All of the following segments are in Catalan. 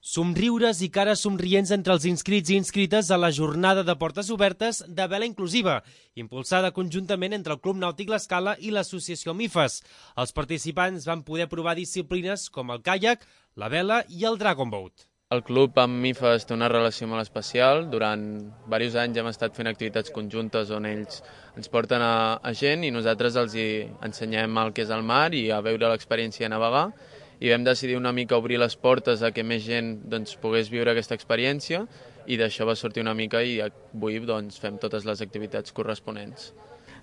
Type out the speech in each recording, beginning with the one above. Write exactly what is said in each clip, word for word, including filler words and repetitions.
Somriures i cares somrients entre els inscrits i inscrites a la jornada de portes obertes de vela inclusiva, impulsada conjuntament entre el Club Nàutic L'Escala i l'associació MIFES. Els participants van poder provar disciplines com el caiac, la vela i el Dragon Boat. El club amb MIFES té una relació molt especial. Durant diversos anys hem estat fent activitats conjuntes on ells ens porten a, a gent i nosaltres els hi ensenyem el que és el mar i a veure l'experiència de navegar. I vam decidir una mica obrir les portes a que més gent doncs, pogués viure aquesta experiència i d'això va sortir una mica i avui doncs, fem totes les activitats corresponents.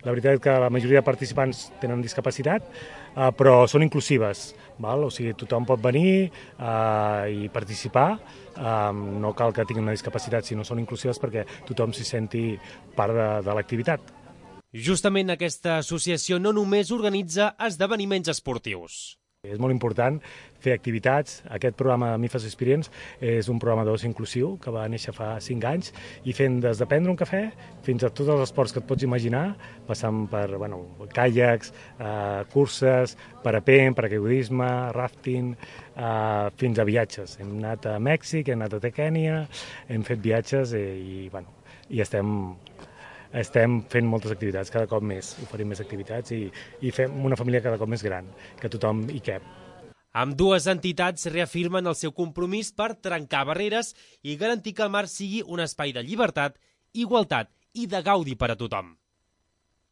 La veritat és que la majoria de participants tenen discapacitat, eh, però són inclusives. Val? O sigui, tothom pot venir eh, i participar. Eh, no cal que tinguin una discapacitat, sinó són inclusives perquè tothom s'hi senti part de, de l'activitat. Justament aquesta associació no només organitza esdeveniments esportius. És molt important fer activitats. Aquest programa MIFES Experience és un programa d'oci inclusiu que va néixer fa cinc anys i fent des de prendre un cafè fins a tots els esports que et pots imaginar, passant per bueno, caiacs, eh, curses, parapent, paracaigudisme, rafting, eh, fins a viatges. Hem anat a Mèxic, hem anat a Kènia, hem fet viatges i, i, bueno, i estem... Estem fent moltes activitats, cada cop més, oferim més activitats i, i fem una família cada cop més gran, que tothom hi cap. Ambdues entitats reafirmen el seu compromís per trencar barreres i garantir que el mar sigui un espai de llibertat, igualtat i de gaudi per a tothom.